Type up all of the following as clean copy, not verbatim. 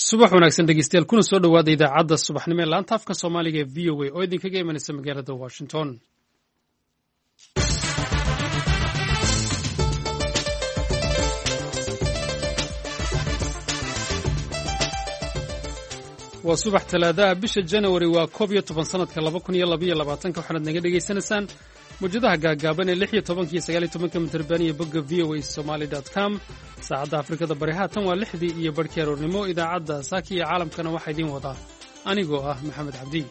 Subax wanaagsan dhegeystayaal, kuna soo dhowaada idaacadda subaxnimo ee laanta afka Soomaaliga ee VOA oo idinkaga imanaysa magaalada Washington. Waa subax Talaadaha, bisha Janawari waa 11 sanadka 2022-ka. Waxaanaad naga dhegaysanaysaan mawjadaha gaagaaban ee 16-ka iyo 19-ka mitirban iyo bogga voasomali.com. Saacadda Afrikada Bari haatan waa 6-dii iyo barhkii aroornimo. Idaacadda saaka iyo caalamkana waxaa idiin wadaa anigoo ah Maxamed Cabdi.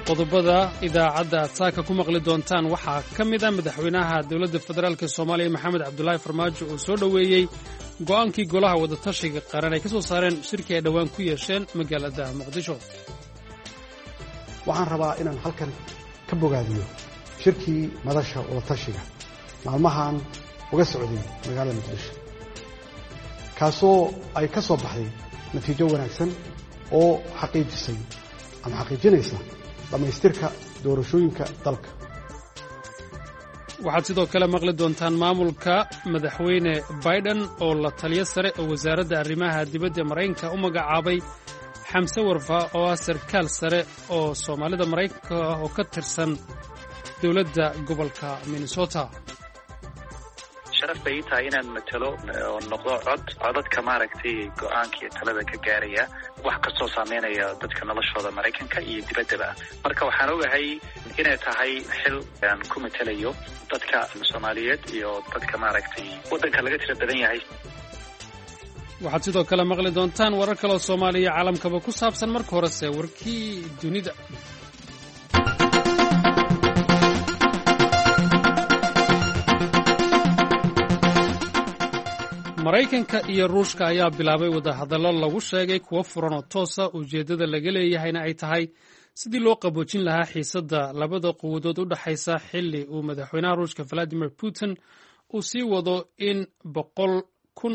Qodobada idaacadda aad saaka ku maqli doontaan waxaa ka mid a madaxweynaha dowladda federaalk Soomaaliya Maxamed Cabdulaahi Farmaajo oo soo dhoweeyey go'aankii golaha wadatashiga qaran ay ka soo saareen shirkii ay dhowaan ku yeesheen magaalada Muqdisho. Waxaan rabaa inaan halkan ka bogaadiyo shirkii madasha wadatashiga maalmahan uga socday magaalada Muqdisho, kaasoo ay ka soo baxday natiijo wanaagsan oo xaqiijisay ama xaqiijinaysa dhammaystirka doorashooyinka dalka. Waxaad sidoo kale maqli doontaan maamulka madaxweyne Biden oo la taliyo sare oo wasaaradda arrimaha dibadda Maraykanka u magacaabay Xamse Warfa oo ah sarkaal sare oo Soomaalida Maraykanka ah oo ka tirsan dowladda gobolka Minnesota. Sharaf bay ii tahay inaan matalo oo noqdo cod codadka maaragtay go-aanka iyo talada ka gaaraya wax kastoo saameynaya dadka noloshooda Maraykanka iyo dibaddaba. Marka waxaan ogahay inay tahay xil aan ku matalayo dadka Soomaaliyeed iyo dadka maaragtay waddanka laga tira badan yahay. Waxaad sidoo kale maqli doontaan warar kaleoo Soomaaliya iyo caalamkaba ku saabsan. Marka horese warkii dunida. Maraykanka iyo Ruushka ayaa bilaabay wadahadallo lagu sheegay kuwo furan oo toosa, ujeeddada laga leeyahayna ay tahay sidii loo qaboojin lahaa xiisadda labada quwadood u dhexaysa, xilli uu madaxweynaha Ruushka Valadimir Putin uu sii wado in 100,000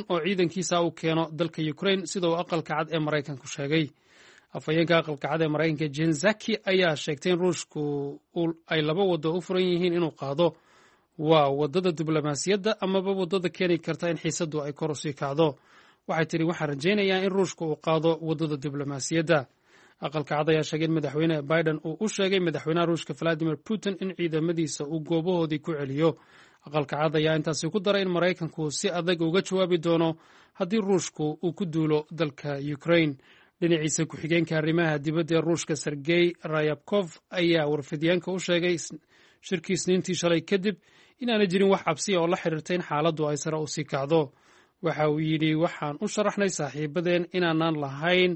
oo ciidankiisa uu keeno dalka Ukrain, sida uu Aqalka Cad ee Maraykanku sheegay. Afhayeenka Aqalka Cad ee Maraykanka Jen Zaki ayaa sheegtay in Ruushku ay laba wado u furan yihiin inuu qaado: waa waddada diblomaasiyadda amaba waddada keeni karta in xiisaddu ay kor usii kacdo. Waxay tidhi, waxaan rajaynayaa in Ruushka uu qaado waddada diblomaasiyadda. Aqalka Cad ayaa sheegay in madaxweyne Biden uu u sheegay madaxweynaha Ruushka Valadimir Putin in ciidamadiisa uu goobahoodii ku celiyo. Aqalka Cad ayaa intaasi ku daray in Maraykanku si adag uga jawaabi doono haddii Ruushku uu ku duulo dalka Ukrain. Dhinaciisa, ku-xigeenka arrimaha dibadda ee Ruushka Sergey Rayabkov ayaa warfidyaanka u sheegay shirkii Isniintii shalay kadib inaanay jirin wax cabsiya oo la xiriirta in xaaladdu ay sare u sii kacdo. Waxa uu yidhi, waxaan u sharaxnay saaxiibadeen inaanaan lahayn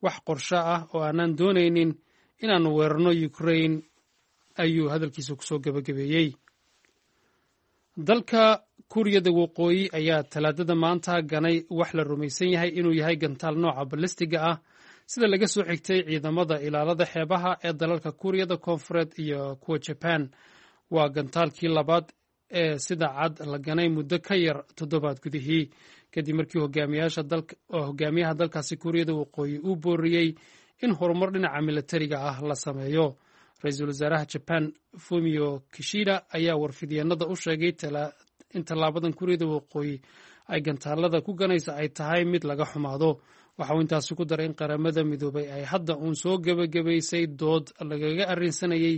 wax qorsho ah oo aanaan doonaynin inaannu weerarno Ukrain, ayuu hadalkiisa kusoo gebagabeeyey. Dalka Kuuriyada Waqooyi ayaa Talaadada maanta ganay wax la rumaysan yahay inuu yahay gantaal nooca balistiga ah, sida laga soo xigtay ciidamada ilaalada xeebaha ee dalalka Kuuriyada Koonfureed iyo kuwa Jaban. Waa gantaalkii labaad ee sida cad la ganay muddo ka yar toddobaad gudihii, kadib markii hogaamiyaha dalkaasi Kuuriyada Waqooyi uu booriyey in horumar dhinaca milatariga ah la sameeyo. Ra-iisul wasaaraha Jaban Fumio Kishida ayaa warfidyeennada u sheegay in tallaabadan Kuuriyada Waqooyi ay gantaalada ku ganaysa ay tahay mid laga xumaado. Waxa uu intaasi ku daray in Qaramada Midoobay ay hadda uun soo gebagabaysay dood lagaga arrinsanayey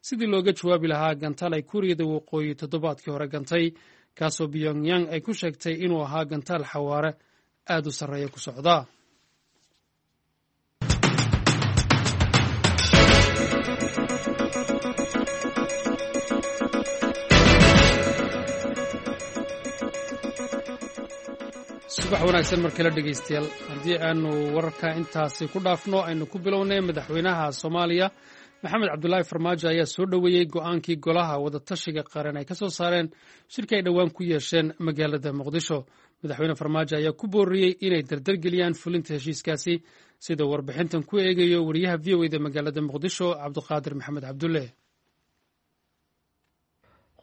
sidii looga jawaabi lahaa gantaal ay Kuuriyada Waqooyi toddobaadkii hore gantay, kaasoo Pyongyang ay ku sheegtay inuu ahaa gantaal xawaare aad u sarreeya ku socda. Subax wanaagsan mar kale dhegeystayaal. Haddii aanu wararka intaasi ku dhaafno, aynu ku bilownay. Madaxweynaha Soomaaliya Maxamed Cabdulaahi Farmaajo ayaa soo dhoweeyey go'aankii golaha wadatashiga qaran ay ka soo saareen shirki ay dhowaan ku yeesheen magaalada Muqdisho. Madaxweyne Farmaajo ayaa ku booriyey inay dardargeliyaan fulinta heshiiskaasi, sida warbixintan ku eegayo wariyaha VOA da magaalada Muqdisho, Cabdiqaadir Maxamed Cabdulle.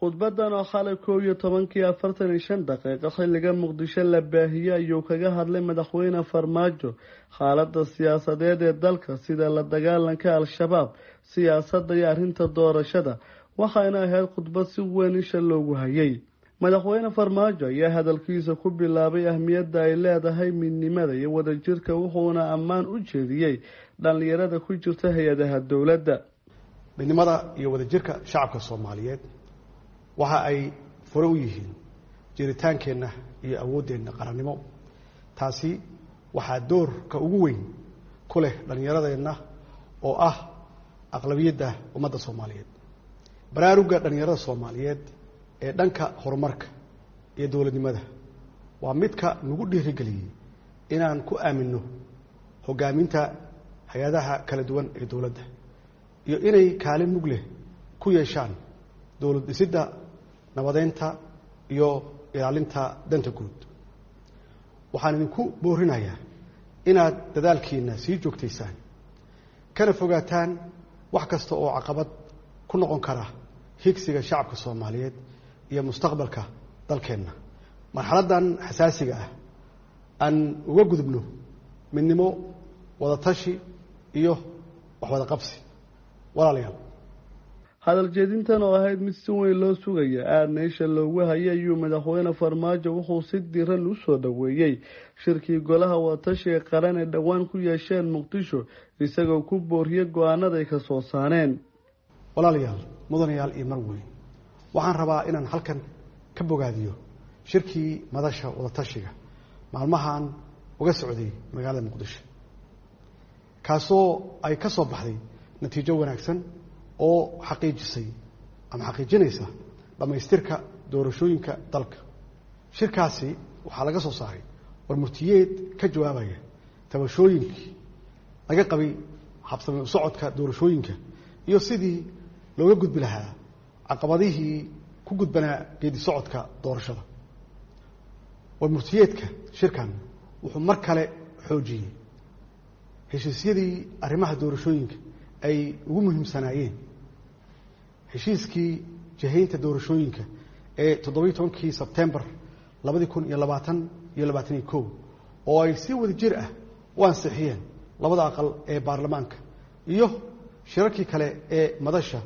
Khudbadan oo xalay 11:45 xilliga Muqdisho la baahiyey ayuu kaga hadlay madaxweyne Farmaajo xaaladda siyaasadeed ee dalka, sida la dagaalanka Al-Shabaab, siyaasadda iyo arrinta doorashada. Waxayna ahayd khudbad si weyn isha loogu hayay. Madaxweyne Farmaajo ayaa hadalkiisa ku bilaabay ahmiyadda ay leedahay midnimada iyo wadajirka, wuxuuna ammaan u jeediyey dhallinyarada ku jirta hay-adaha dowladda. Midnimada iyo wadajirka shacabka Soomaaliyeed waxa ay fure u yihiin jiritaankeenna iyo awooddeenna qarannimo. Taasi waxaa doorka ugu weyn ku leh dhallinyaradeenna oo ah aqlabiyadda ummadda Soomaaliyeed. Baraarugga dhallinyarada Soomaaliyeed ee dhanka horumarka iyo dowladnimada waa midka nagu dhiirigeliyey inaan ku aaminno hoggaaminta hay-adaha kala duwan ee dowladda iyo inay kaalin mug leh ku yeeshaan dowlad dhisidda, nabadeynta iyo ilaalinta danta guud. Waxaan idinku boorinayaa inaad dadaalkiina sii joogtaysaan kana fogaataan wax kasta oo caqabad ku noqon kara higsiga shacabka Soomaaliyeed iyo mustaqbalka dalkeenna. Marxaladdan xasaasiga ah aan uga gudubno midnimo, wadatashi iyo waxwada qabsi. Walaalayaal, hadal jeedintan oo ahayd mid si weyn loo sugaya aadna isha loogu hayay ayuu madaxweyne Farmaajo wuxuu si diran u soo dhoweeyey shirkii golaha wadatashiga qaran ee dhowaan ku yeesheen Muqdisho, isagoo ku booriyey go-aanaday ka soo saareen. Walaalayaal, mudanayaal iyo marweyn, waxaan rabaa inaan halkan ka bogaadiyo shirkii madasha wadatashiga maalmahan uga socday magaalada Muqdisho, kaasoo ay ka soo baxday natiijo wanaagsan oo xaqiijisay ama xaqiijinaysa dhammaystirka doorashooyinka dalka. Shirkaasi waxaa laga soo saaray warmurtiyeed ka jawaabaya tabashooyinkii laga qabay habsami u socodka doorashooyinka iyo sidii looga gudbi lahaa caqabadihii ku gudbanaa geedi socodka doorashada. Warmurtiyeedka shirkan wuxuu mar kale xoojiyey heshiisyadii arrimaha doorashooyinka ay ugu muhiimsanaayeen heshiiskii jihaynta doorashooyinka ee 17kii Sebtembar 2020 iyo 21, oo ay si wada jir ah u ansixiyeen labada aqal ee baarlamaanka, iyo shirarkii kale ee madasha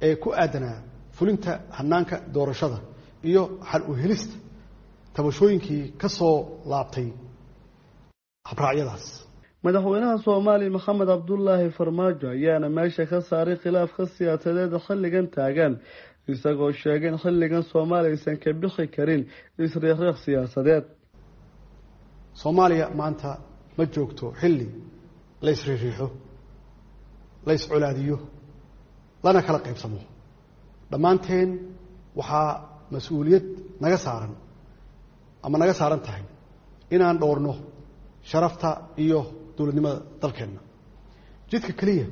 ee ku aadanaa fulinta hanaanka doorashada iyo xal u helista tabashooyinkii ka soo laabtay habraacyadaas. Madaxweynaha Soomaaliya Maxamed Cabdulaahi Farmaajo ayaana meesha ka saaray khilaafka siyaasadeed xilligan taagan, isagoo sheegay in xilligan Soomaaliya aysan ka bixi karin isriixriix siyaasadeed. Soomaaliya maanta ma joogto xilli la isriixriixo, la iscolaadiyo, lana kala qaybsamo. Dhammaanteen waxaa mas-uuliyad naga saaran ama naga saaran tahay inaan dhowrno sharafta iyo dowladnimada dalkeenna. Jidka keliya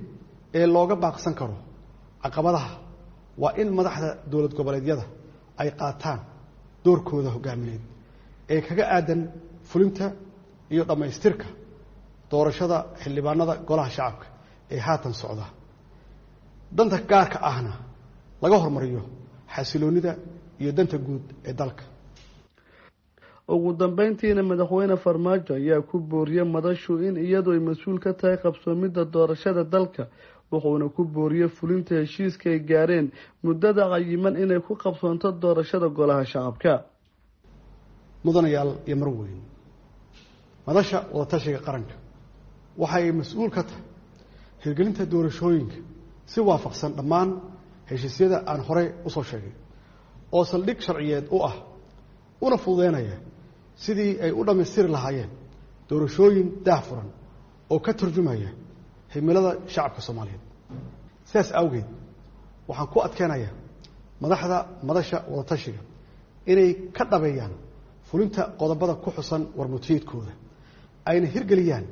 ee looga baaqsan karo caqabadaha waa in madaxda dowlad goboleedyada ay qaataan doorkooda hoggaamineed ee kaga aadan fulinta iyo dhammaystirka doorashada xildhibaanada golaha shacabka ee haatan socda, danta gaarka ahna laga hormariyo xasiloonnida iyo danta guud ee dalka. Ugu dambeyntiina madaxweyne Farmaajo ayaa ku booriyey madashu in iyadu ay mas-uul ka tahay qabsoomidda doorashada dalka, wuxuuna ku booriyey fulinta heshiiska ay gaareen muddada cayiman inay ku qabsoonto doorashada golaha shacabka. Mudanayaal iyo marweyn, madasha wadatashiga qaranka waxa ay mas-uul ka tahay hirgelinta doorashooyinka si waafaqsan dhammaan heshiisyada aan horey u soo sheegay, oo saldhig sharciyeed u ah una fududeynaya sidii ay u dhammaystiri lahaayeen doorashooyin daah furan oo ka turjumaya himilada shacabka Soomaaliyeed. Sidaas awgeed waxaan ku adkeenayaa madaxda madasha wadatashiga inay ka dhabeeyaan fulinta qodobada ku xusan warmurtiyeedkooda, ayna hirgeliyaan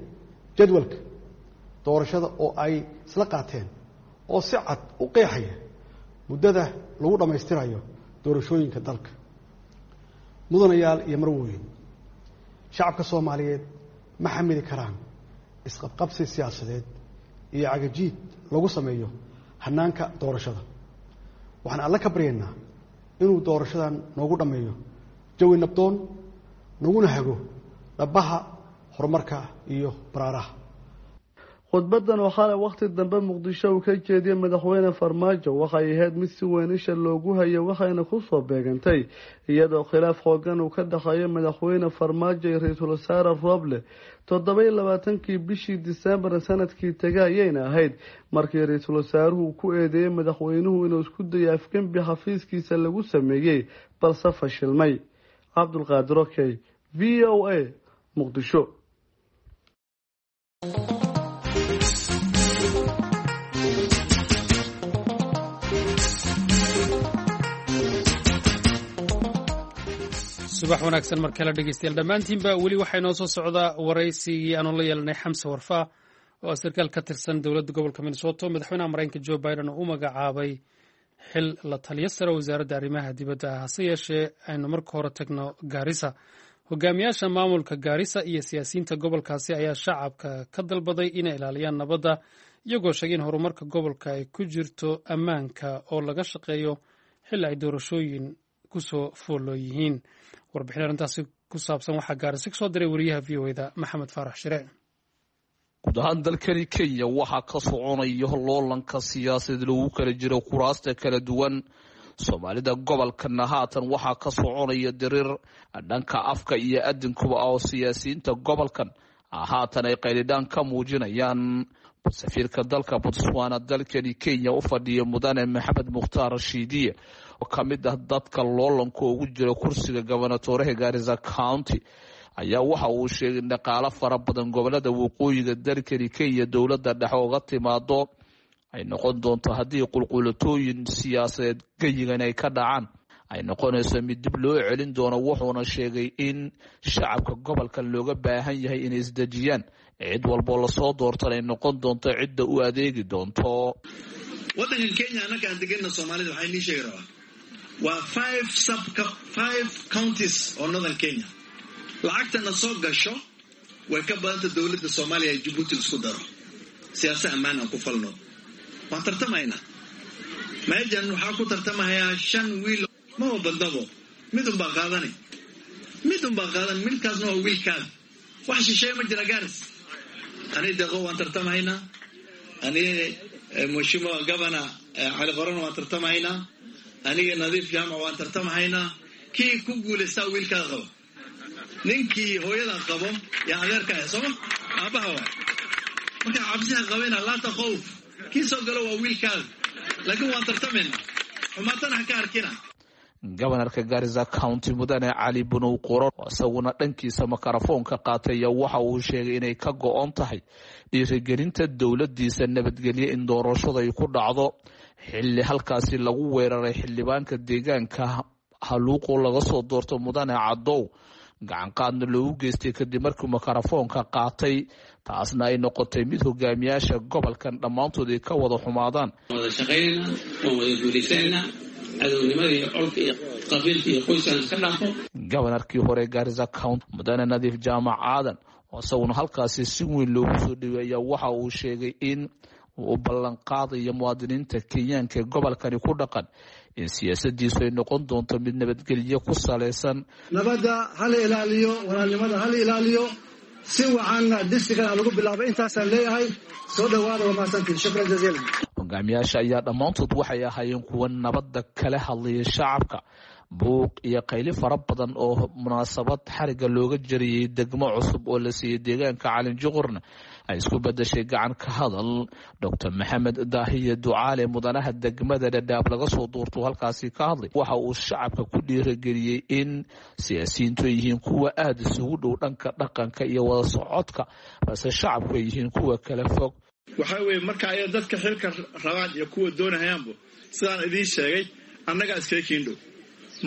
jadwalka doorashada oo ay isla qaateen oo si cad u qeexaya muddada lagu dhammaystirayo doorashooyinka dalka. Mudanayaal iyo marweyn, shacabka Soomaaliyeed ma xamili karaan isqabqabsi siyaasadeed iyo cagajiid lagu sameeyo hanaanka doorashada. Waxaan alle ka baryaynaa inuu doorashadan noogu dhammeeyo jawi nabdoon, naguna hago dhabaha horumarka iyo baraaraha. Khudbadan oo xalay wakhti dambe Muqdisho uu ka jeediyey madaxweyne Farmaajo waxay ahayd mid si weyn isha loogu hayay, waxayna ku soo beegantay iyadoo khilaaf xoogan uu ka dhexeeyo madaxweyne Farmaajo iyo ra-iisul wasaare Rooble. 27-kii bishii Disembar sanadkii tegay ayayna ahayd markii ra-iisul wasaaruhu ku eedeeyey madaxweynuhu inuu isku dayay afgembi xafiiskiisa lagu sameeyey, balse fashilmay. Cabdulqaadir Okey, VOA, Muqdisho. Subax wanaagsan mar kale dhegeystayaal dhammaantiinba. Weli waxaa inoo soo socdaa waraysigii aanu la yeelanay Xamse Warfaa oo sarkaal ka tirsan dowladda gobolka Minnesota, madaxweynaha Maraykanka Joe Biden oo u magacaabay xil la taliyo sare wasaaradda arrimaha dibadda ah. Hase yeeshee aynu marka hore tagno Gaarisa. Hogaamiyaasha maamulka Gaarisa iyo siyaasiyiinta gobolkaasi ayaa shacabka ka dalbaday inay ilaaliyaan nabadda, iyagoo sheegay in horumarka gobolka ay ku jirto ammaanka oo laga shaqeeyo xilli ay doorashooyin kusoo fooloo yihiin. Warbixin arrintaasi ku saabsan waxaa Gaarisa kasoo diray wariyaha VOA-da Maxamed Faarax Shire. Guud ahaan dalkani Kenya waxaa ka soconaya loolanka siyaasadeed lagu kala jiro kuraasta kala duwan. Soomaalida gobolkana haatan waxaa ka soconaya diriir dhanka afka iyo adinkuba oo siyaasiyiinta gobolkan haatan ay qaylidhaan ka muujinayaan. Safiirka dalka Botswana dalkani Kenya u fadhiya, mudane Maxamed Mukhtaar Rashiidiye, oo ka mid ah dadka loolanka ugu jira kursiga gobonatoreha Gaarisa County, ayaa waxa uu sheegay in dhaqaalo fara badan gobolada waqooyiga dalkani Kenya dowladda dhexe uga timaado ay noqon doonto haddii qulqulatooyin siyaasadeed geyigan ay ka dhacaan ay noqonayso mid dib loo celin doono. Wuxuuna sheegay in shacabka gobolkan looga baahan yahay inay isdejiyaan, cid walboo lasoo doortan ay noqon doonto cidda u adeegi doonto. Waddankan Kenya annaga aan degana Soomaalida, waxaa inii sheegi rabaa waa five counties oo northern Kenya. Lacagtana soo gasho way ka badanta dowladda Soomaaliya ee Jabuuti isku daro. Siyaasa ammaan aan ku falno, waan tartamaynaa. Meejan waxaa ku tartamahayaa shan wiil, maba badnabo, mid unbaa qaadanay, mid unbaa qaadan, midkaasna waa wiilkaada. Wax shisheeye ma jira Gaaris. Ani Deqo waan tartamahaynaa, ani Mheshimiwa Governor Cali Qorona waan tartamahaynaa, aniga Nadiif Jaamac waan tartamahaynaa. Kii ku guulaystaa wiilkaada qabo, ninkii hooyada qabo yaa adeerka ah, sooma aabbaha waay. Marka cabsiha qabeyna, laata khowf, kii soo galo waa wiilkaada, laakiin waan tartamayna, xumaatana ha ka arkina. Gobanarka Gaarisa County, mudane Cali Bunow Qoron, isaguna dhankiisa makarafoonka qaatay, ayaa waxa uu sheegay inay ka go-on tahay dhiirigelinta dowladiisa nabadgelye in doorashada ay ku dhacdo, xilli halkaasi lagu weeraray xildhibaanka deegaanka Haluuqo laga soo doorto, mudane Cadow, gacanqaadna loogu geystay kadib markii makarafoonka qaatay, taasna ay noqotay mid hogaamiyaasha gobolkan dhammaantood ay ka wada xumaadaan. Wada shaqaynayna, waan wada guulaysanayna, cadownimada iyo colka iyo qabiilka iyo qoyskan iska dhaafo. Gobanarkii hore Gaarisa County, mudane Nadiif Jaamac Aadan, oo isaguna halkaasi si weyn loogu soo dhaweeya, waxa uu sheegay in uu ballanqaadayo muwaadiniinta Kenyaanka ee gobolkani ku dhaqan in siyaasadiisu ay noqon doonto mid nabadgelyo ku salaysan. Nabadda hala ilaaliyo, walaalnimada hala ilaaliyo, si wacanna distrigan ha lagu bilaabay. Intaasaan leeyahay, soo dhawaada, waa mahadsantiin, shukran jaziilan. Hogaamiyaasha ayaa dhammaantood waxay ahaayeen kuwa nabadda kala hadlaya shacabka. Buuq iyo qayli fara badan oo munaasabad xariga looga jariyey degmo cusub oo la siiyey deegaanka Calinjuqurna ay isku bedashay gacan ka hadal. Doctor Maxamed Daahiye Ducaale, mudanaha degmada Dhadhaab laga soo doorto, halkaasi ka hadlay, waxa uu shacabka ku dhiirageliyey in siyaasiyiintu ay yihiin kuwa aada isugu dhow dhanka dhaqanka iyo wada socodka, balse shacabku ay yihiin kuwa kala fog. Waxaa weeye marka ay dadka xilka rabaan iyo kuwa doonahayaanbu, sidaan idiin sheegay, annagaa iskaga kiindhow,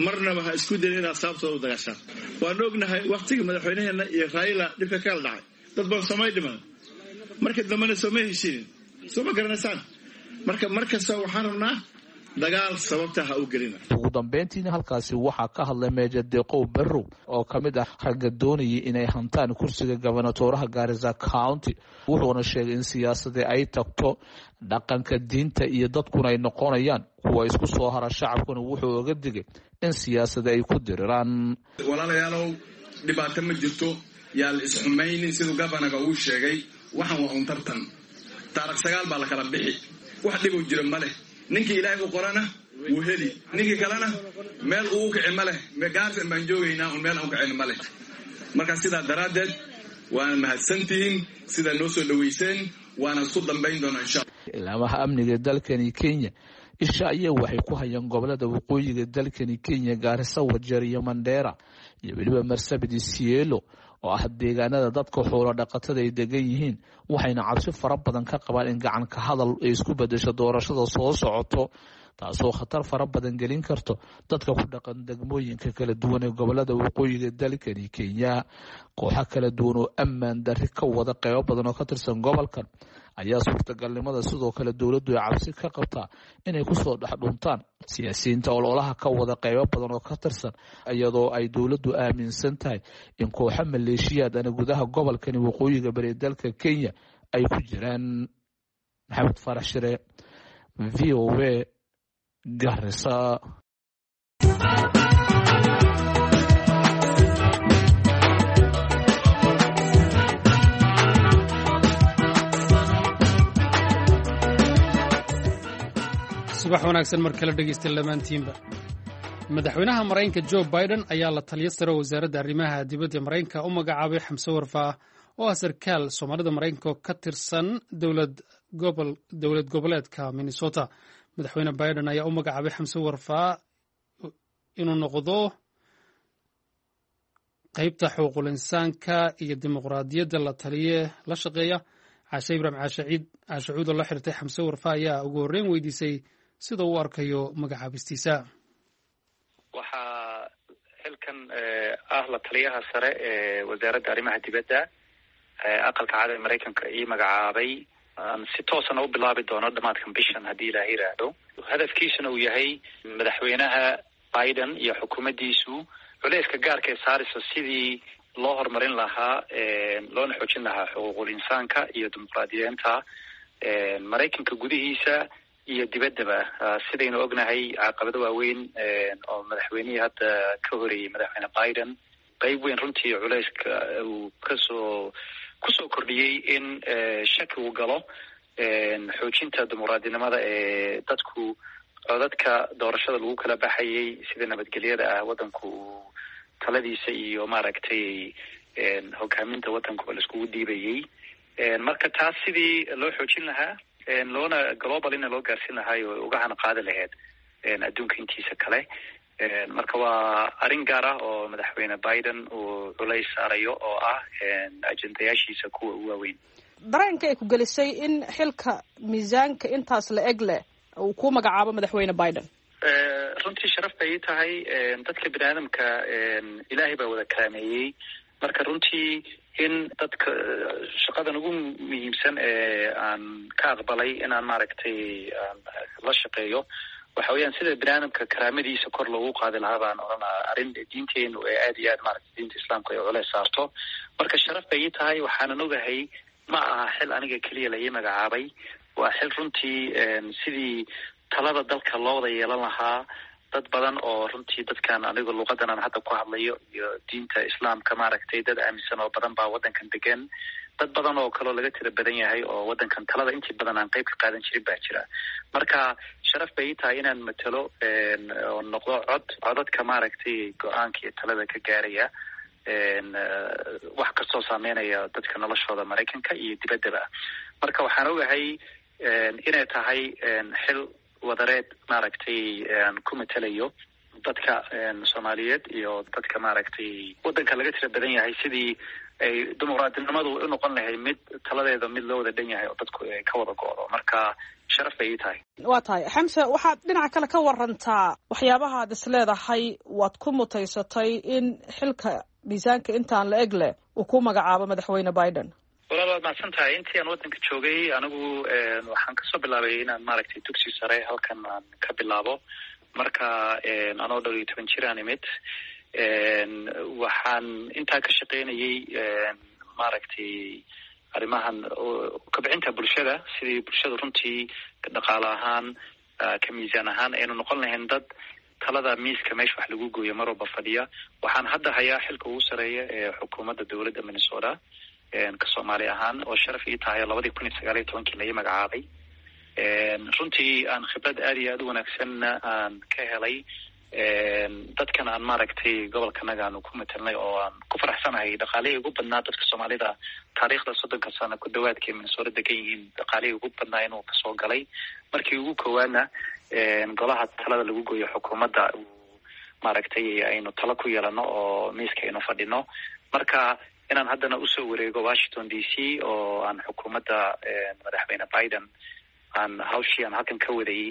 marnaba ha isku dayin inaad sababtooda u dagaashaan. Waan ognahay wakhtigii madaxweynaheenna iyo Raila dhibka kala dhacay, dad badan soomay dhiman, marka dambena sooma heshiinin, soo ma garanaysaan? Marka mar kasta waxaan rabnaa Dagaal sababta ha u gelina. Ugu dambeyntiina halkaasi waxaa ka hadlay Meeja Deeqow Barrow oo ka mid ah ragga doonayay inay hantaan kursiga gobonatooraha Gaarisa County, wuxuuna sheegay in siyaasadii ay tagto dhaqanka diinta iyo dadkuna ay noqonayaan kuwa isku soo hara, shacabkuna wuxuu oga digay in siyaasada ay ku diriraan. Walaalayaalow, dhibaato ma jirto, yaa la isxumaynin. Siduu gabanaga uu sheegay, waxan waa un tartan. Taarikh 9 baa la kala bixi, wax dhibow jira ma leh. Ninkii Ilaahay u qorana wuu heli, ninkii kalena meel uu kici ma leh. Gaarsan baan joogaynaa, un meel aan u kicin ma leh. Marka sidaa daraaddeed waana mahadsantihiin sidaa noo soo dhoweyseen, waana isku dambayn doonaa insha Allah. Ilaamaha amniga dalkani Kenya isha ayaa waxay ku hayaan gobolada waqooyiga dalkani Kenya, Gaarisa, Wajeer iyo Mandheera iyo weliba Marsabit, Isiolo oo ah deegaanada dadka xoolo dhaqatada ay degan yihiin, waxayna cabsi fara badan ka qabaan in gacanka hadal ay isku bedesho doorashada soo socoto, taasoo khatar fara badan gelin karto dadka ku dhaqan degmooyinka kala duwan ee gobolada waqooyiga dalkani Kenya. Kooxo kala duwan oo ammaan darri ka wada qeybo badan oo ka tirsan gobolkan ayaa suurtagalnimada sidoo kale dowladdu ay cabsi ka qabtaa inay kusoo dhex dhuntaan siyaasiyiinta ololaha ka wada qeybo badan oo ka tirsan, iyadoo ay dowladdu aaminsan tahay in kooxo maleeshiyaad ana gudaha gobolkani waqooyiga bari dalka Kenya ay ku jiraan. Maxamed Faarax Shire, VOA, Garissa. Subax wanaagsan mar kale dhegeysta lamaantiinba. Madaxweynaha Maraykanka Joe Biden ayaa la taliyo sare wasaaradda arrimaha dibadda Maraykanka u magacaabay Xamse Warfaa oo ah sarkaal Soomaalida Maraykanka oo ka tirsan dowlad goboleedka Minnesota. Madaxweyne Biden ayaa u magacaabay Xamse Warfaa inuu noqdo qeybta xuquuqul insaanka iyo dimuqraadiyadda la taliye la shaqeeya. Caashe Ibraahim Caashaciid Caashacuud oo la xirtay Xamse Warfaa ayaa ugu horreyn weydiisay sida uu arkayo magacaabistiisa. Waxaa xilkan ah la taliyaha sare ee wasaaradda arrimaha dibadda Aqalka Cad ee Maraykanka ii magacaabay, si toosana u bilaabi doono dhamaadkan bishan haddii Ilaaha yiraahdo. Hadafkiisuna uu yahay madaxweynaha Biden iyo xukuumaddiisu culeyska gaarka ee saaraysa sidii loo horumarin lahaa loona xoojin lahaa xuquuqul insaanka iyo dimuqraadiyeenta Maraykanka gudihiisa iyo dibaddaba. Sidaynu ognahay, caqabado waaweyn oo madaxweynihii hadda ka horeeyey, madaxweyne Biden, qeyb weyn runtii culeyska uu kasoo kusoo kordhiyey in shaki uu galo xoojinta dimuqraadinimada ee dadku codadka doorashada lagu kala baxayay, sida nabadgelyada ah waddanku uu taladiisa iyo maaragtay hogaaminta waddankuba laiskugu dhiibayay. Marka taas sidii loo xoojin lahaa loona globalina loo gaarsiin lahaa oo uga hana qaadi lahayd adduunka intiisa kale. Marka waa arrin gaar ah oo madaxweyne Biden uu culays saarayo oo ah ajendayaashiisa kuwa ugu waaweyn. Dareenka ay ku gelisay in xilka miisaanka intaas la eg leh uu ku magacaabo madaxweyne Biden? Runtii sharaf bay ii tahay. Dadka bini aadamka Ilaahay baa wada karaameeyey. Marka runtii in dadka shaqadan ugu muhiimsan ee aan ka aqbalay inaan maaragtay la shaqeeyo waxa weeyaan sida bini aadamka karaamadiisa kor loogu qaadi lahaa baan odhanaa, arrin diinteenu ee aada iyo aad maaragtay diinta Islaamka ay culeys saarto. Marka sharaf bay ii tahay, waxaanan ogahay ma aha xil aniga keliya la ii magacaabay, waa xil runtii sidii talada dalka loo wada yeelan lahaa dad badan oo runtii dadkan aniga luqadan aan hadda ku hadlayo iyo diinta Islaamka maaragtay dad aaminsan oo badan baa waddankan degan, dad badan oo kaloo laga tira badan yahay oo waddankan talada intii badan aan qeyb ka qaadan jirin baa jira. Marka sharaf bay ii tahay inaan matalo oo noqdo cod codadka maaragtay go-aanka iyo talada ka gaaraya wax kastoo saameynaya dadka noloshooda Maraykanka iyo dibaddaba. Marka waxaan ogahay inay tahay xil wadareed maaragtay ku matalayo dadka Soomaaliyeed iyo dadka maaragtay waddanka laga tira badan yahay, sidii ay dimuqraadinimadu u noqon lahayd mid taladeeda mid loo wada dhan yahay oo dadku ay ka wada go'do. Marka sharaf bay ii tahay. Waa tahay Xamse, waxaad dhinaca kale ka warantaa waxyaabahaad is leedahay waad ku mutaysatay in xilka miisaanka intaan la eg leh uu ku magacaabo madaxweyne Biden. Walaal, waad mahadsan tahay. Intii aan waddanka joogay anigu waxaan kasoo bilaabay inaan maaragtay dugsi sare halkan aan ka bilaabo. Marka anoo dhowr iyo toban jir aan imid, waxaan intaa ka shaqeynayay maaragtay arrimahan kobcinta bulshada, sidii bulshada runtii dhaqaale ahaan ka miisaan ahaan aynu noqon lahayn dad talada miiska meesha wax lagu gooyo mar walba fadhiya. Waxaan hadda hayaa xilka ugu sareeya ee xukuumadda dowladda Minnesota ka Soomaali ahaan, oo sharaf ii tahay 2019-kii lai magacaabay. Runtii aan khibrad aada iyo aada u wanaagsanna aan ka helay dadkan aan maaragtay gobolkanaga aanu ku matelnay, oo aan ku faraxsanahay dhaqaalihii ugu badnaa dadka Soomaalida taariikhda 30-ka sano ku dhawaadkay Minnesota degan yihiin, dhaqaalihii ugu badnaa inuu kasoo galay. Markii ugu koowaadna golaha talada lagu gooyo xukuumadda maaragtay aynu talo ku yeelano oo miiska aynu fadhino. Marka inaan haddana usoo wareego Washington DC oo aan xukuumadda madaxweyne Biden aan hawshii aan halkan ka waday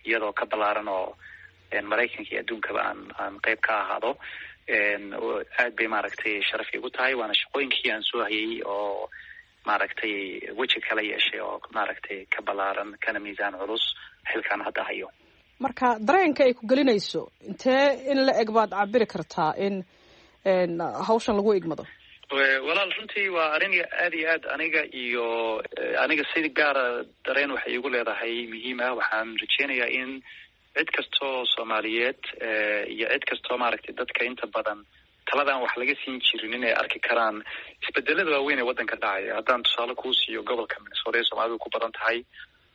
iyadoo ka ballaaran oo Maraykanka iyo adduunkaba aan qayb ka ahaado, aad bay maaragtay sharaf iigu tahay. Waana shaqooyinkii aan soo hayay oo maaragtay weji kala yeeshay oo maaragtay ka ballaaran kana miisaan culus xilkaan hadda hayo. Marka dareenka ay ku gelinayso intee in la eg baad cabiri kartaa in hawshan lagu igmado? Walaal, runtii waa arrin aada iyo aad aniga iyo aniga si gaara dareen waxay igu leedahay muhiim ah. Waxaan rajeynayaa in cid kastoo Soomaaliyeed iyo cid kastoo maaragtay dadka inta badan taladan wax laga siin jirin inay arki karaan isbedelada waaweyn ee waddanka dhacaya. Haddaan tusaale kuu siiyo, gobolka Minnesota ee Soomaalidu ku badan tahay,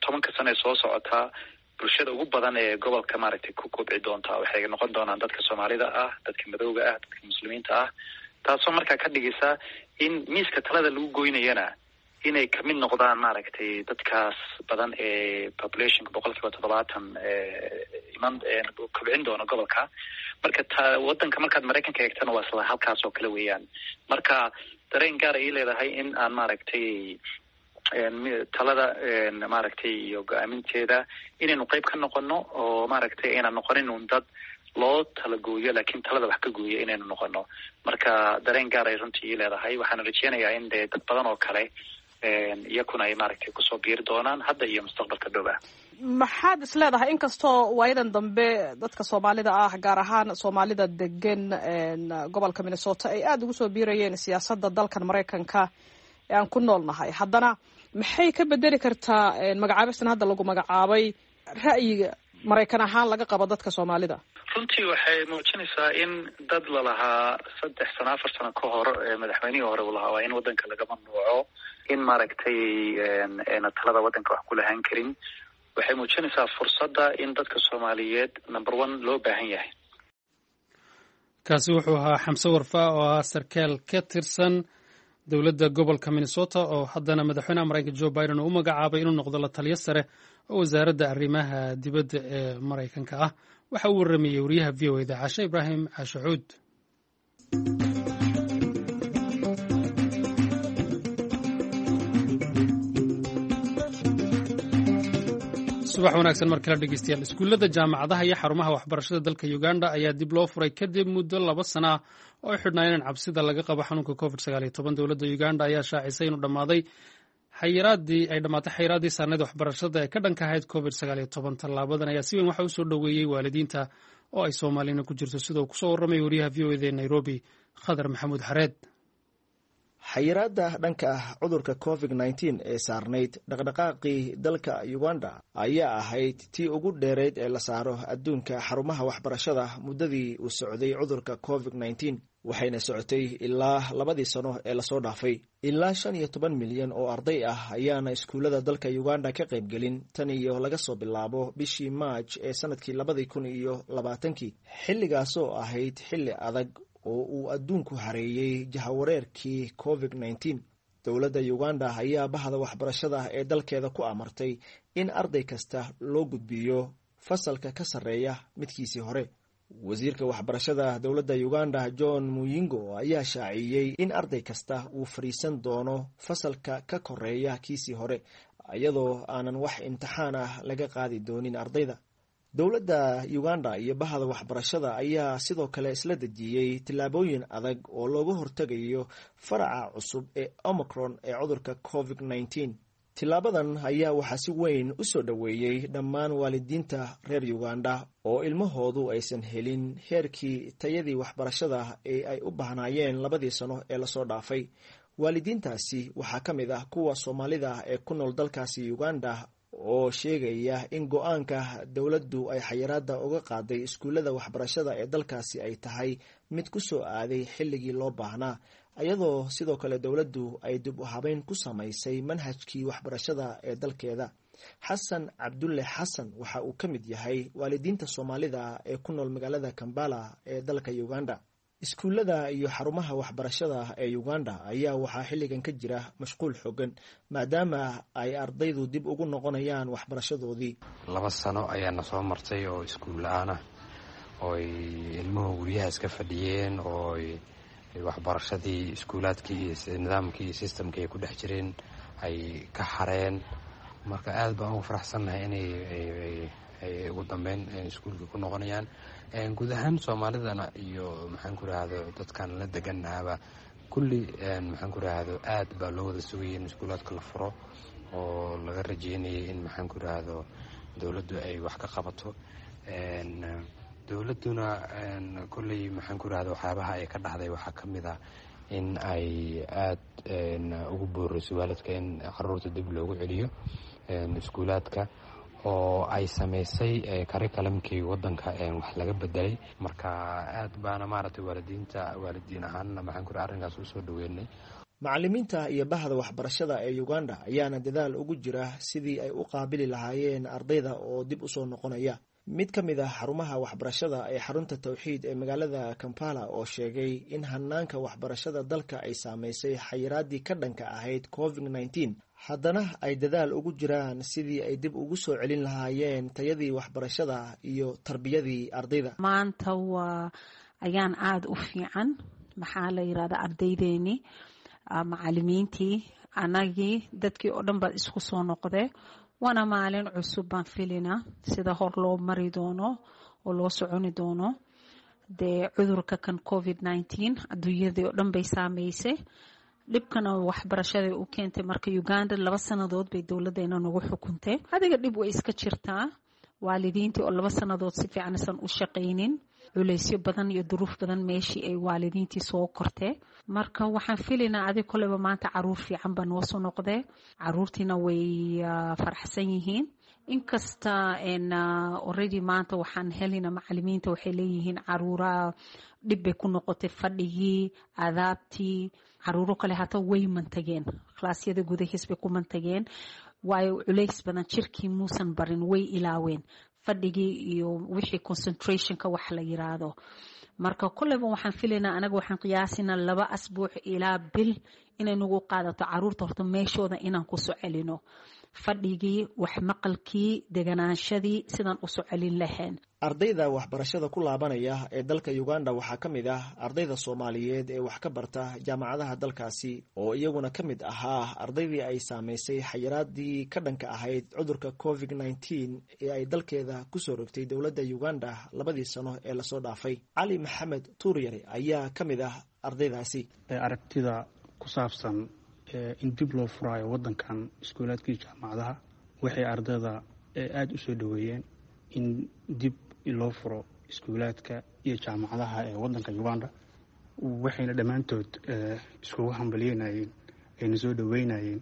10-ka sano ee soo socotaa bulshada ugu badan ee gobolka maaragtay ku kobci doontaa waxay noqon doonaan dadka Soomaalida ah, dadka madowga ah, dadka muslimiinta ah, taasoo markaa ka dhigaysa in miiska talada lagu goynayana inay kamid noqdaan maaragtay dadkaas badan ee populationka 70% iman kobcin doono gobolka. Marka ta waddanka markaad Maraykanka eegtana waa isla halkaas oo kale weeyaan. Marka dareen gaar ay leedahay in aan maaragtay talada maaragtay iyo go-aaminteeda inaynu qayb ka noqono, oo maaragtay aynan noqonin un dad loo tala gooyo, laakiin talada wax ka gooyo inaynu noqono. Marka dareen gaar ay runtii ii leedahay. Waxaana rajeynayaa in dee dad badan oo kale iyakuna ay maaragtay kusoo biiri doonaan hadda iyo mustaqbalka dhow ah. Maxaad is leedahay, inkastoo waayadan dambe dadka Soomaalida ah, gaar ahaan Soomaalida degan gobolka Minnesota, ay aada ugu soo biirayeen siyaasadda dalkan Maraykanka ee aan ku nool nahay, haddana maxay ka bedeli kartaa magacaabistan hadda lagu magacaabay ra'yiga Maraykan ahaan laga qabo dadka Soomaalida? Runtii waxay muujinaysaa in dad lalahaa 3 sano 4 sano ka hor madaxweynihii hore uu lahaa waa in waddanka laga mamnuuco, in maaragtay ayna talada waddanka wax ku lahaan karin. Waxay muujinaysaa fursadda in dadka Soomaaliyeed number one loo baahan yahay. Kaasi wuxuu ahaa Xamse Warfaa oo ahaa sarkaal ka tirsan dowladda gobolka Minnesota, oo haddana madaxweynaha Maraykanka Joe Biden uu u magacaabay inuu noqdo la taliyo sare oo wasaaradda arrimaha dibadda ee Maraykanka ah. Waxa uu warramayey wariyaha VOA-da Cashe Ibraahim Caashacuud. Subax wanaagsan mar kale dhegeystayaal. Iskuullada, jaamacadaha iyo xarumaha waxbarashada dalka Uganda ayaa dib loo furay kadib muddo 2 sana ah oo ay xidhnaayeen cabsida laga qabo xanuunka COVID 19. Dowladda Uganda ayaa shaacisay inuu dhammaaday xayiraadii ay dhammaatay xayiraaddii saarneed waxbarashada ee ka dhanka ahayd COVID 19. Tallaabadan ayaa si weyn waxa u soo dhoweeyey waalidiinta oo ay Soomaalina ku jirto, sida uu kusoo warramay wariyaha VOA-da ee Nairobi, Khadar Maxamuud Xareed. Xayiraadda dhanka ah cudurka COVID 19 ee saarnayd dhaqdhaqaaqii dalka Uganda ayaa ahayd tii ugu dheereyd ee la saaro adduunka xarumaha waxbarashada muddadii uu socday cudurka COVID 19, waxayna socotay ilaa 2-dii sano ee lasoo dhaafay. Ilaa 15 milyan oo arday ah ayaana iskuullada dalka Uganda ka qaybgelin tan iyo laga soo bilaabo bishii Maaj ee sanadkii 2020-kii, xilligaasoo ahayd xilli adag oo uu adduunku hareeyey jahawareerkii COVID 19. Dowladda Uganda ayaa bahda waxbarashada ee dalkeeda ku amartay in arday kasta loo gudbiyo fasalka ka sarreeya midkiisii hore. Wasiirka waxbarashada dowladda Uganda John Muyingo ayaa shaaciyey in arday kasta uu fadhiisan doono fasalka ka koreeya kiisii hore, iyadoo aanan wax imtixaan ah laga qaadi doonin ardayda. Dowladda Uganda iyo bahda waxbarashada ayaa sidoo kale isla dejiyey tillaabooyin adag oo looga hortegayo faraca cusub ee Omicron ee cudurka COVID-19. Tilaabadan ayaa waxaa si weyn u soo dhoweeyey dhammaan waalidiinta reer Uganda oo ilmahoodu aysan helin heerkii tayadii waxbarashada ee ay u baahnaayeen labadii sano ee lasoo dhaafay. Waalidiintaasi waxaa ka mid ah kuwa Soomaalida ee ku nool dalkaasi Uganda oo sheegaya in go-aanka dowladdu ay xayiraada uga qaaday iskuullada waxbarashada ee dalkaasi ay tahay mid ku soo aaday xilligii loo baahnaa, iyadoo sidoo kale dowladdu ay dib u habeyn ku samaysay manhajkii waxbarashada ee dalkeeda. Xasan Cabdulle Xasan waxa uu ka mid yahay waalidiinta Soomaalida ee ku nool magaalada Kambala ee dalka Uganda. Iskuullada iyo xarumaha waxbarashada ee Uganda ayaa waxaa xilligan ka jira mashquul xooggan, maadaama ay ardaydu dib ugu noqonayaan waxbarashadoodii. 2 sano ayaana soo martay oo iskuul la-aan ah, oo ay ilmuhu guryaha iska fadhiyeen, oo waxbarashadii iskuulaadkii iyo nidaamkii iyo systemkii ay ku dhex jireen ay ka xareen. Marka aad baan ugu faraxsannahay inay ay ugu dambeyn iskuulka ku noqonayaan. Guud ahaan Soomaalidana iyo maxaan ku rahdo dadkan la deganahaba kulli, maxaan ku rahdo, aad baa loo wada sugayay in iskuulaadka la furo, oo laga rajeynayay in, maxaan ku rahdo, dowladdu ay wax ka qabato. Dowladduna kolley, maxaan ku rahdo, waxyaabaha ay ka dhahday waxaa ka mid ah in ay aad ugu booriso waalidka in caruurta dib loogu celiyo iskuulaadka, oo ay samaysay curriculumkii waddanka wax laga bedelay. Marka aad baana maaragtay waalidiinta, waalidiin ahaanna, maxaan ku raha, arrinkaas usoo dhaweynay. Macalimiinta iyo bahda waxbarashada ee Uganda ayaana dadaal ugu jira sidii ay u qaabili lahaayeen ardayda oo dib usoo noqonaya. Mid ka mid ah xarumaha waxbarashada ee xarunta Tawxiid ee magaalada Kampala oo sheegay in hanaanka waxbarashada dalka ay saameysay xayiraadii ka dhanka ahayd COVID-19, haddana ay dadaal ugu jiraan sidii ay dib ugu soo celin lahaayeen tayadii waxbarashada iyo tarbiyadii ardayda. Maanta waa ayaan aada u fiican. Maxaa la yirahdaa, ardaydeeni, macalimiintii, anagii, dadkii oo dhan baad isku soo noqdee. Waana maalin cusub baan filinaa sida hor loo mari doono oo loo soconi doono. Dee cudurka kan COVID-19 adduunyadii oo dhan bay saameysay, dhibkana waxbarashaday u keentay. Marka Uganda 2 sanadood bay dowladeena nagu xukuntay. Adiga dhib way iska jirtaa, waalidiintii oo 2 sanadood si fiican isan u shaqaynin, culeysyo badan iyo duruuf badan meeshii ay waalidiintii soo kortee. Marka waxaan filaynaa adig koleyba maanta caruur fiican baa noo soo noqdee, caruurtiina way faraxsan yihiin. Inkasta already maanta waxaan helina macalimiinta waxay leeyihiin caruuraha dhib bay ku noqotay fadhigii, adaabtii. Caruuro kale hata way mantageen, kalaasyada gudahiis bay ku mantageen, waayo culays badan jirkii muusan barin, way ilaaween fadhigii iyo wixii concentrationka wax la yiraahdo. Marka koleyba waxaan filaynaa, anaga waxaan qiyaasinaa 2 asbuuc ilaa bil inay nagu qaadato caruurta horta meeshooda inaan kusoo celino fadhigii, wax maqalkii, deganaanshadii, sidaan usoo celin lahayn. Ardayda waxbarashada ku laabanaya ee dalka Uganda waxaa ka mid ah ardayda Soomaaliyeed ee wax ka barta jaamacadaha dalkaasi, oo iyaguna ka mid ahaa ardaydii ay saameysay xayiraadii ka dhanka ahayd cudurka COVID-19 ee ay dalkeeda kusoo rogtay dowladda Uganda labadii sano ee lasoo dhaafay. Cali Maxamed Tuuryare ayaa ka mid ah ardaydaasi. Aragtida ku saabsan in dib loo furaayo wadankan iskuulaadkii jaamacadaha, waxay ardayda aada u soo dhaweeyeen in dib loo furo iskuulaadka iyo jaamacadaha ee wadanka Uganda, waxayna dhammaantood iskugu hambalyeynayeen ayna soo dhaweynayeen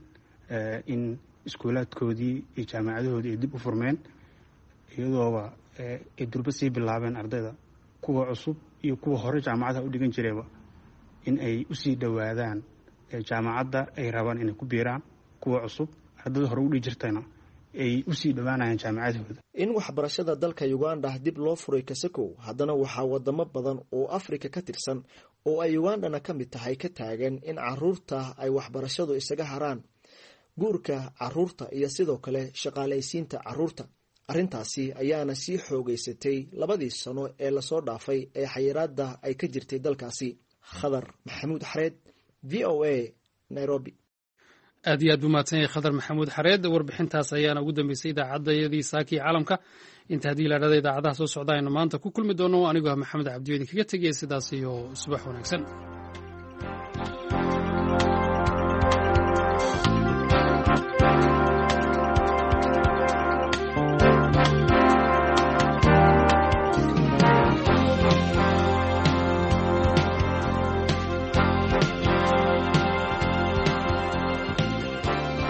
in iskuulaadkoodii iyo jaamacadahoodii ay dib u furmeen, iyadooba ay durbo sii bilaabeen ardayda kuwa cusub iyo kuwa hore jaamacadaha u dhigan jirayba in ay usii dhowaadaan jaamacadda ay rabaan inay ku biiraan. Kuwa cusub, ardayda hore u dhigi jirtayna ay usii dhowaanayaan jaamacadahooda. In waxbarashada dalka Uganda dib loo furay kasakow, haddana waxaa wadamo badan oo Afrika ka tirsan oo ay Ugandana ka mid tahay ka taagan in caruurta ay waxbarashadu isaga haraan, guurka caruurta iyo sidoo kale shaqaalaysiinta caruurta. Arrintaasi ayaana sii xoogeysatay labadii sano ee lasoo dhaafay ee xayiraadda ay ka jirtay dalkaasi. Khadar Maxamuud Xareed, VOA, Nairobi. Aad iyo aad buu mahadsan yahay Khadar Maxamuud Xareed. Warbixintaas ayaana ugu dambeysay idaacaddayadii saakii caalamka. Inta haddii laadhada idaacadaha soo socda aynu maanta ku kulmi doono, anigoo ah Maxamed Cabdiyo idinkaga tegaya sidaas iyo subax wanaagsan.